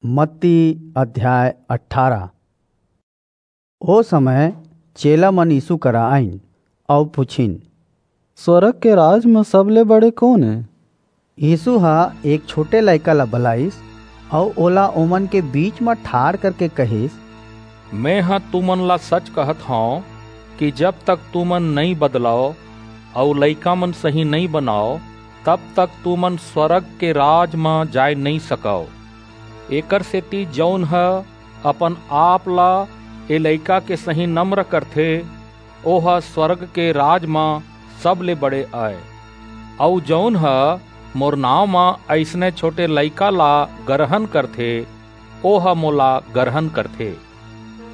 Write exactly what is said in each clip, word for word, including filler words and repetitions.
मत्ती अध्याय अठारह। ओ समय चेला मन यीशु करा आइन अऊ पुछिन, "स्वर्ग के राज म सबले बड़े कोन ए?" यीशु ह एक छोटे लइका ला बलाइस अऊ ओला ओमन के बीच म ठाढ़ करके कहिस, "मेंह तुमन ला सच कहत हंव कि जब तक तुमन नइं बदलव अऊ लइका मन सहीं नइं बनव, तब तक तुमन स्वर्ग के राज म जाय नइं सकव। एकरसेति जऊन ह अपन आप ला ए लइका के सहीं नम्र करथे, ओह स्वर्ग के राज म सबले बड़े अय। अऊ जऊन ह मोर नांव म अइसने छोटे लइका ला गरहन करथे, ओह मोला गरहन करथे।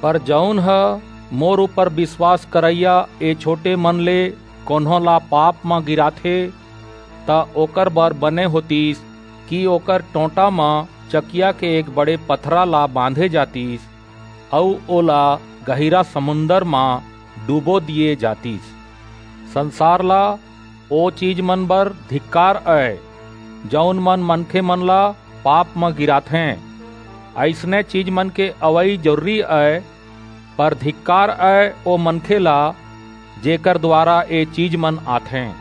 पर जऊन ह मोर ऊपर बिसवास करइया ए छोटे मन ले कोनो ला पाप म गिराथे, त ओकर बर बने होतिस कि ओकर टोंटा म चकिया के एक बड़े पथरा ला बांधे जातिस अऊ ओला गहिरा समुंदर म डूबो दिये जातिस। संसार ला ओ चीज मन बर धिक्कार अय, जऊन मन मनखे मन ला पाप म गिराथें। अइसने चीज मन के अवई जरूरी अय, पर धिक्कार अय ओ मनखे ला, जेकर दुवारा ए चीज मन आथें।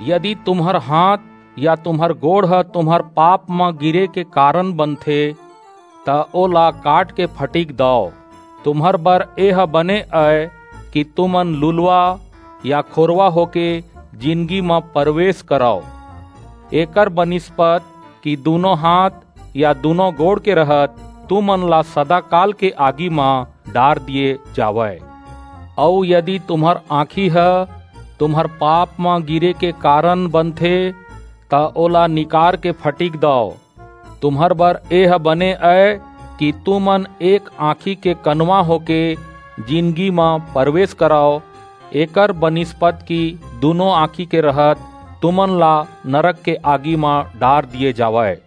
यदि तुम्हर हांथ या तुम्हर गोड़ ह तुम्हर पाप म गिरे के कारन बनथे, त ओला काट के फटिक दव। तुम्हर बर एह बने अय कि तुमन लुलवा या खोरवा होके जिनगी म परवेस करव। एकर बनिस्पत कि दूनों हांथ या दूनों गोड़ के रहत तुमन ला सदाकाल के आगी म डार दिये जावय। अऊ यदि तुम्हर आंखी ह तुम्हर पाप म गिरे के कारन बनथे, त ओला निकार के फटिक दव। तुम्हर बर एह बने अय कि तुमन एक आंखी के कनवा होके जिनगी म परवेस करव, एकर बनिस्पत कि दूनों आंखी के रहत तुमन ला नरक के आगी म डार दिये जावय।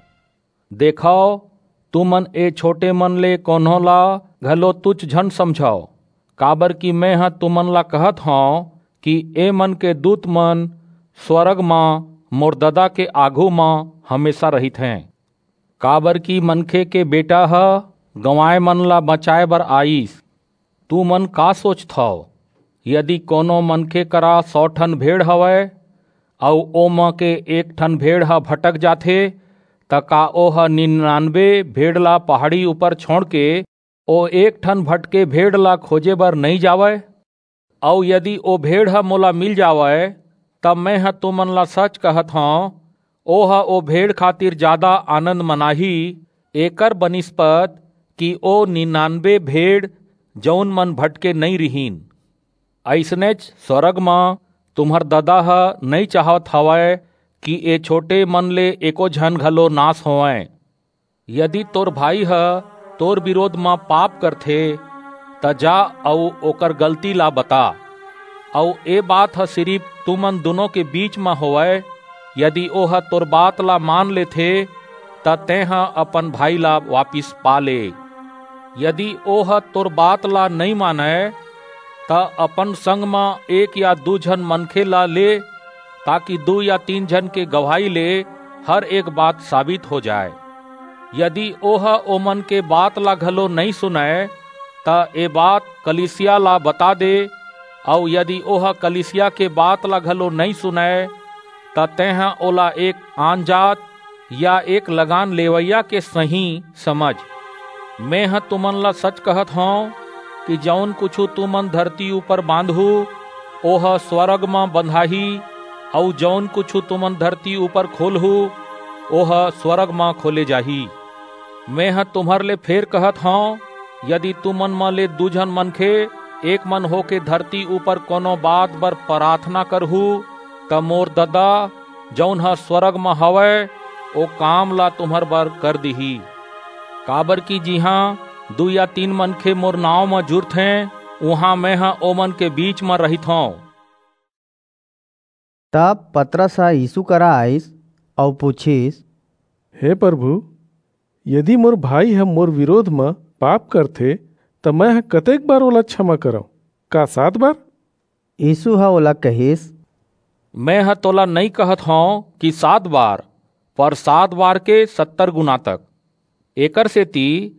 देखव, तुमन ए छोटे मन ले कोनो ला घलो तुच्छ झन समझव, काबरकि मेंह तुमन ला कहत हंव कि ए मन के दूत मन स्वर्ग म मोर ददा के आघू म हमेसा रहिथें। काबरकि मनखे के बेटा ह गंवाय मन ला बचाय बर आईस। तुमन का सोचथव? यदि कोनो मनखे करा सौ ठन भेड़ हवय, अऊ ओमा के एक ठन भेड़ ह भटक जाथे, त का ओह निन्यानबे भेड़ ला पहाड़ी ऊपर छोंड़ के ओ एक ठन भटके भेड़ ला खोजे बर नइं जावय? अऊ यदि ओ भेड़ ह मोला मिल जावय, तब मेंह तुमन ला सच कहत हंव, ओह ओ भेड़ खातिर जादा आनंद मनाही, एकर बनिस्पत कि ओ निन्यानबे भेड़, जऊन मन भटके नइं रिहिन। अइसनेच स्वर्ग म तुम्हर ददा ह नइं चाहत हवय कि ए छोटे मन ले एको झन घलो नास होवंय। यदि तोर भाई ह तोर बिरोध म पाप करथे, त जा अऊ ओकर गलती ला बता, अऊ ए बात ह सिरिप तुमन दूनों के बीच म होवय। यदि ओह तोर बात ला मान लेथे, त तेंह अपन भाई ला वापिस पा ले। यदि ओह तोर बात ला नइं मानय, त अपन संग म एक या दू झन मनखे ला ले, ताकि दू या तीन झन के गवाही ले हर एक बात साबित हो जाय। यदि ओह ओमन के बात ला घलो नइं सुनय, त ए बात कलीसिया ला बता दे, अऊ यदि ओह कलीसिया के बात ला घलो नइं सुनय, त तेंह ओला एक आनजात या एक लगान लेवइया के सहीं समझ। मेंह तुमन ला सच कहत हंव कि जऊन कुछू तुमन धरती ऊपर बांधहू, ओह स्वर्ग म बंधाही, अऊ जऊन कुछू तुमन धरती ऊपर खोलहू, ओह स्वर्ग म खोले जाही। मेंह तुम्हर ले फेर कहत हंव, यदि तुमन म ले दू झन मनखे एक मन होके धरती ऊपर कोनो बात बर पराथना करहू, त मोर ददा, जऊन ह स्वर्ग म हवय, ओ काम ला तुम्हर बर कर दिही। काबरकि जिहां दू या तीन मनखे मोर नांव म जुरथें, उहां मेंह ओमन के बीच म रहिथंव। तब पतरस ह यीसू करा आईस अऊ पुछिस, "हे परभू, यदि मोर भाई ह मोर बिरोध म पाप करथे, त मेंह कतेक बार ओला छमा करंव? का सात बार?" यीसू ह ओला कहिस, "मेंह तोला नइं कहत हंव कि सात बार, पर सात बार के सत्तर गुना तक।" एकर सेती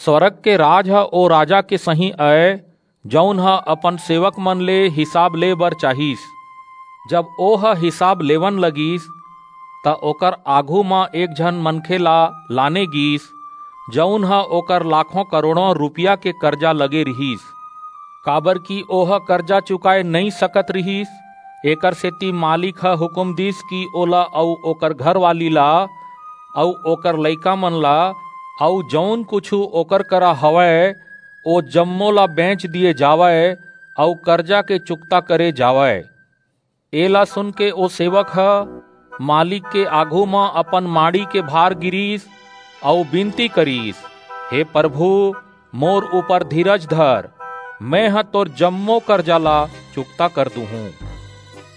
स्वर्ग के राज ह ओ राजा के सहीं अय, जऊन ह अपन सेवक मन ले हिसाब ले बर चाहिस। जब ओह हिसाब लेवन लगिस, त ओकर आघू म एक झन मनखे ला लाने गीस, जऊन ह ओकर लाखों करोड़ों रुपया के करजा लगे रिहिस, काबर कि ओह करजा चुकाय नइं सकत रिहिस। एकर सेती मालिक ह हुकूम दीस कि ओला अऊ ओकर घरवाली ला अऊ ओकर लइका मन ला अऊ जऊन कुछू ओकर करा हवय, ओ जम्मो ला बेंच दिये जावय अऊ करजा के चुकता करे जावय। एला सुनके ओ सेवक ह मालिक के आघू म अपन माड़ी के भार गिरीस अऊ बिनती करीस, "हे परभू, मोर ऊपर धीरज धर, मेंह तोर जम्मो करजा ला चुकता कर दूहूं।"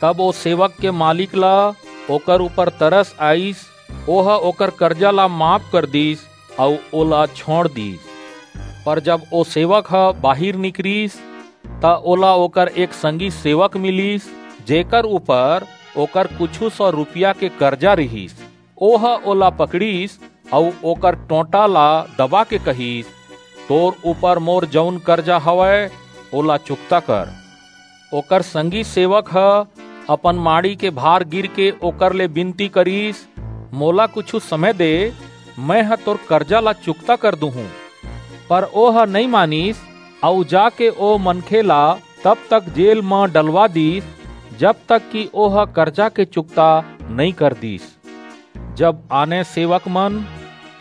तब ओ सेवक के मालिक ला ओकर ऊपर तरस आईस, ओह ओकर करजा ला माफ कर दीस अऊ ओला छोंड़ दीस। पर जब ओ सेवक ह बाहिर निकरिस, त ओला ओकर एक संगी सेवक मिलिस, जेकर ऊपर ओकर कुछू सौ रुपया के करजा रिहिस। ओह ओला पकड़िस अऊ ओकर टोंटा ला दबा के कहिस, "तोर ऊपर मोर जऊन करजा हवय, ओला चुकता कर।" ओकर संगी सेवक ह अपन माड़ी के भार गिर के ओकर ले बिनती करिस, "मोला कुछू समय दे, मेंह तोर करजा ला चुकता कर दूहूं।" पर ओह नइं मानिस, अऊ जाके ओ मनखे ला तब तक जेल म डलवा दीस, जब तक कि ओह करजा के चुकता नइं कर दीस। जब आने सेवक मन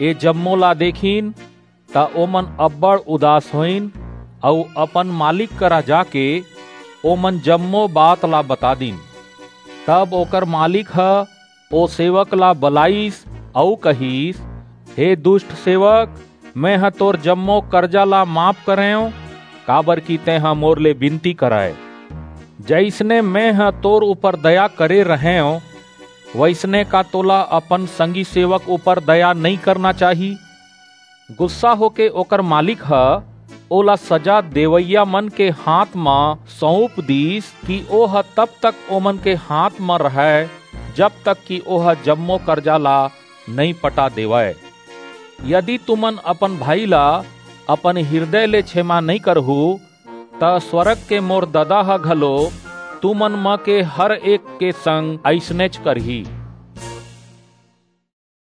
ए जम्मो ला देखिन, त ओमन अब्बड़ उदास होइन अऊ अपन मालिक करा जाके ओमन जम्मो बात ला बता दीन। तब ओकर मालिक ह ओ सेवक ला बलाईस अऊ कहिस, "हे दुस्ट सेवक, मेंह तोर जम्मो करजा ला माफ करेंव, काबर कि तेंह मोर ले बिनती करय। जइसने मेंह तोर ऊपर दया करे रहेंव, वइसने का तोला अपन संगी सेवक ऊपर दया नइं करना चाही?" गुस्सा होके ओकर मालिक ह ओला सजा देवइया मन के हाथ म सऊंप दीस कि ओह तब तक ओमन के हाथ म रहय, जब तक कि ओह जम्मो करजा ला नइं पटा देवय। यदि तुमन अपन भाई ला अपन हिरदय ले छेमा नइं करहू, त स्वर्ग के मोर ददा ह घलो तुमन म के हर एक के संग अइसनेच करही।